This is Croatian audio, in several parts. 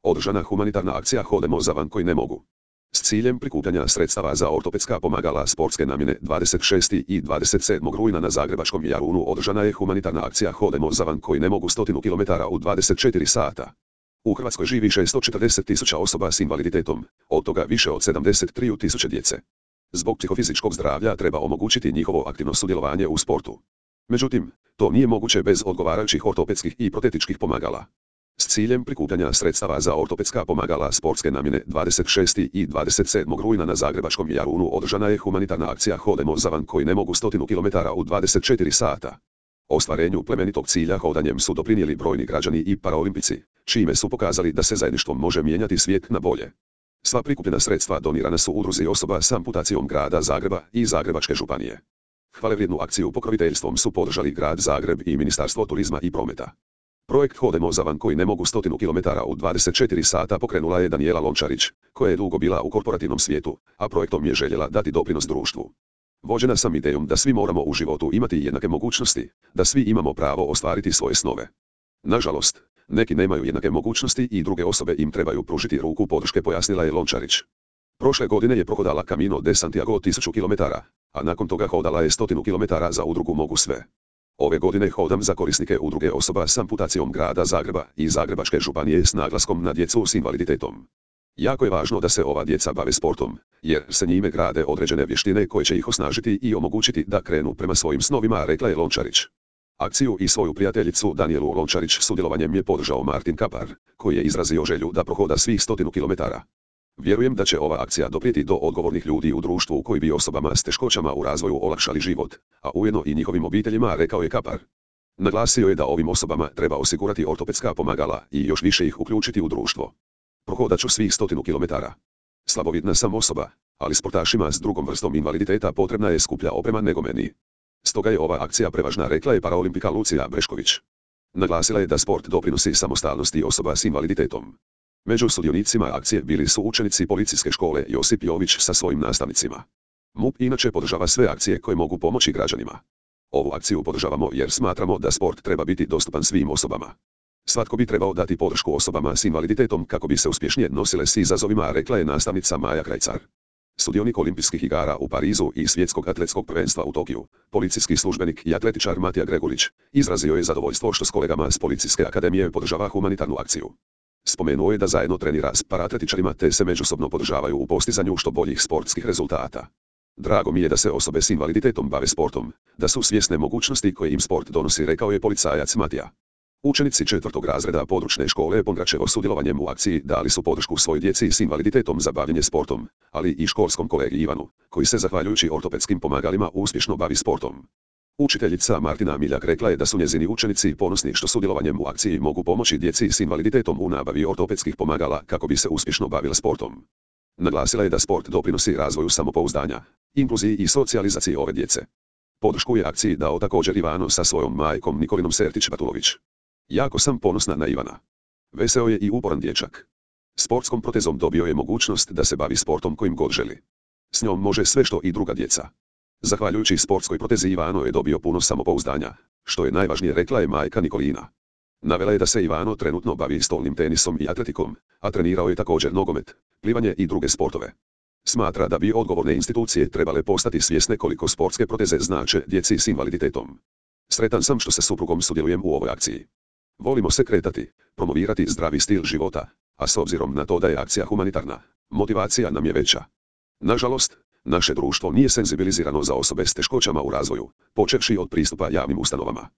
Održana humanitarna akcija Hodemo za van koji ne mogu. S ciljem prikupljanja sredstava za ortopedska pomagala sportske namjene 26. i 27. rujna na Zagrebačkom Jarunu održana je humanitarna akcija Hodemo za van koji ne mogu 100 km u 24 sata. U Hrvatskoj živi 640.000 osoba s invaliditetom, od toga više od 73.000 djece. Zbog psihofizičkog zdravlja treba omogućiti njihovo aktivno sudjelovanje u sportu. Međutim, to nije moguće bez odgovarajućih ortopedskih i protetičkih pomagala. S ciljem prikupljanja sredstava za ortopedska pomagala sportske namjene 26. i 27. rujna na Zagrebačkom Jarunu održana je humanitarna akcija Hodemo za van koji ne mogu 100 km u 24 sata. Ostvarenju plemenitog cilja hodanjem su doprinijeli brojni građani i paraolimpici, čime su pokazali da se zajedništvom može mijenjati svijet na bolje. Sva prikupljena sredstva donirana su udruzi osoba s amputacijom grada Zagreba i Zagrebačke županije. Hvalevrijednu akciju pokroviteljstvom su podržali grad Zagreb i Ministarstvo turizma i prometa. Projekt Hodemo za van koji ne mogu 100 km u 24 sata pokrenula je Danijela Lončarić, koja je dugo bila u korporativnom svijetu, a projektom je željela dati doprinos društvu. Vođena sam idejom da svi moramo u životu imati jednake mogućnosti, da svi imamo pravo ostvariti svoje snove. Nažalost, neki nemaju jednake mogućnosti i druge osobe im trebaju pružiti ruku podrške, pojasnila je Lončarić. Prošle godine je prohodala Camino de Santiago 1000 km, a nakon toga hodala je 100 km za udrugu Mogu sve. Ove godine hodam za korisnike udruge osoba s amputacijom grada Zagreba i Zagrebačke županije s naglaskom na djecu s invaliditetom. Jako je važno da se ova djeca bave sportom, jer se njime grade određene vještine koje će ih osnažiti i omogućiti da krenu prema svojim snovima, rekla je Lončarić. Akciju i svoju prijateljicu Danijelu Lončarić sudjelovanjem je podržao Martin Kapar, koji je izrazio želju da prohoda svih 100 km. Vjerujem da će ova akcija doprijeti do odgovornih ljudi u društvu koji bi osobama s teškoćama u razvoju olakšali život, a ujedno i njihovim obiteljima, rekao je Kapar. Naglasio je da ovim osobama treba osigurati ortopedska pomagala i još više ih uključiti u društvo. Prohodat ću svih 100 km. Slabovidna sam osoba, ali sportašima s drugom vrstom invaliditeta potrebna je skuplja oprema nego meni. Stoga je ova akcija prevažna, rekla je paraolimpika Lucija Brešković. Naglasila je da sport doprinosi samostalnosti osoba s invaliditetom. Među sudionicima akcije bili su učenici Policijske škole Josip Jović sa svojim nastavnicima. MUP inače podržava sve akcije koje mogu pomoći građanima. Ovu akciju podržavamo jer smatramo da sport treba biti dostupan svim osobama. Svatko bi trebao dati podršku osobama s invaliditetom kako bi se uspješnije nosile s izazovima, rekla je nastavnica Maja Krajcar. Sudionik Olimpijskih igara u Parizu i Svjetskog atletskog prvenstva u Tokiju, policijski službenik i atletičar Matija Gregurić, izrazio je zadovoljstvo što s kolegama s Policijske akademije podržava humanitarnu akciju. Spomenuo je da zajedno trenira s paratletičarima te se međusobno podržavaju u postizanju što boljih sportskih rezultata. Drago mi je da se osobe s invaliditetom bave sportom, da su svjesne mogućnosti koje im sport donosi, rekao je policajac Matija. Učenici 4. razreda područne škole Pongračevo sudjelovanjem u akciji dali su podršku svojoj djeci s invaliditetom za bavljenje sportom, ali i školskom kolegi Ivanu, koji se zahvaljujući ortopedskim pomagalima uspješno bavi sportom. Učiteljica Martina Miljak rekla je da su njezini učenici ponosni što sudjelovanjem u akciji mogu pomoći djeci s invaliditetom u nabavi ortopedskih pomagala kako bi se uspješno bavila sportom. Naglasila je da sport doprinosi razvoju samopouzdanja, inkluziji i socijalizaciji ove djece. Podršku je akciji dao također Ivano sa svojom majkom Nikolinom Sertić-Batulović. Jako sam ponosna na Ivana. Veseo je i uporan dječak. Sportskom protezom dobio je mogućnost da se bavi sportom kojim god želi. S njom može sve što i druga djeca. Zahvaljujući sportskoj protezi Ivano je dobio puno samopouzdanja, što je najvažnije, rekla je majka Nikolina. Navela je da se Ivano trenutno bavi stolnim tenisom i atletikom, a trenirao je također nogomet, plivanje i druge sportove. Smatra da bi odgovorne institucije trebale postati svjesne koliko sportske proteze znače djeci s invaliditetom. Sretan sam što sa suprugom sudjelujem u ovoj akciji. Volimo se kretati, promovirati zdravi stil života, a s obzirom na to da je akcija humanitarna, motivacija nam je veća. Nažalost, naše društvo nije senzibilizirano za osobe s teškoćama u razvoju, počevši od pristupa javnim ustanovama.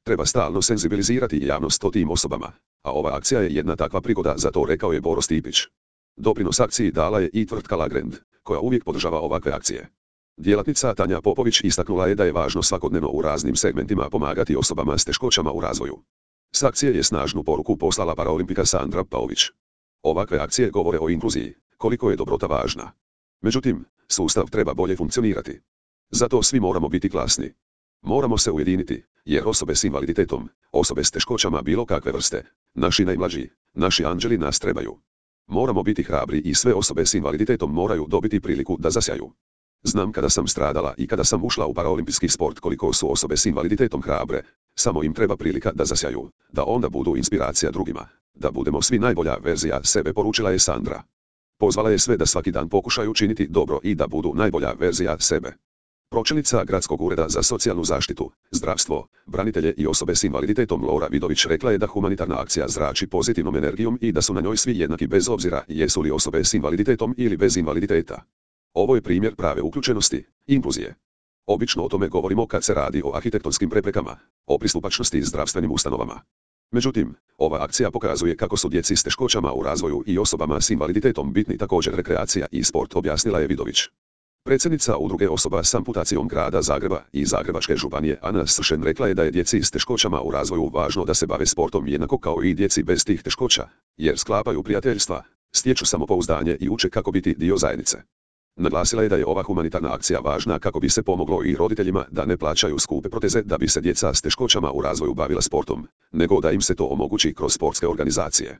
Treba stalno senzibilizirati javnost o tim osobama, a ova akcija je jedna takva prigoda za to, rekao je Boro Stipić. Doprinos akciji dala je i tvrtka Lagrend, koja uvijek podržava ovakve akcije. Djelatnica Tanja Popović istaknula je da je važno svakodnevno u raznim segmentima pomagati osobama s teškoćama u razvoju. S akcije je snažnu poruku poslala paraolimpika Sandra Paović. Ovakve akcije govore o inkluziji, koliko je dobrota važna. Međutim, sustav treba bolje funkcionirati. Zato svi moramo biti glasni. Moramo se ujediniti, jer osobe s invaliditetom, osobe s teškoćama bilo kakve vrste, naši najmlađi, naši anđeli nas trebaju. Moramo biti hrabri i sve osobe s invaliditetom moraju dobiti priliku da zasjaju. Znam kada sam stradala i kada sam ušla u paraolimpijski sport koliko su osobe s invaliditetom hrabre, Samo im treba prilika da zasjaju, da onda budu inspiracija drugima, da budemo svi najbolja verzija sebe, poručila je Sandra. Pozvala je sve da svaki dan pokušaju činiti dobro i da budu najbolja verzija sebe. Pročelnica Gradskog ureda za socijalnu zaštitu, zdravstvo, branitelje i osobe s invaliditetom Lora Vidović rekla je da humanitarna akcija zrači pozitivnom energijom i da su na njoj svi jednaki bez obzira jesu li osobe s invaliditetom ili bez invaliditeta. Ovo je primjer prave uključenosti, inkluzije. Obično o tome govorimo kad se radi o arhitektonskim preprekama, o pristupačnosti zdravstvenim ustanovama. Međutim, ova akcija pokazuje kako su djeci s teškoćama u razvoju i osobama s invaliditetom bitni također rekreacija i sport, objasnila je Vidović. Predsjednica udruge osoba s amputacijom grada Zagreba i Zagrebačke županije Ana Sršen rekla je da je djeci s teškoćama u razvoju važno da se bave sportom jednako kao i djeci bez tih teškoća, jer sklapaju prijateljstva, stječu samopouzdanje i uče kako biti dio zajednice. Naglasila je da je ova humanitarna akcija važna kako bi se pomoglo i roditeljima da ne plaćaju skupe proteze da bi se djeca s teškoćama u razvoju bavila sportom, nego da im se to omogući kroz sportske organizacije.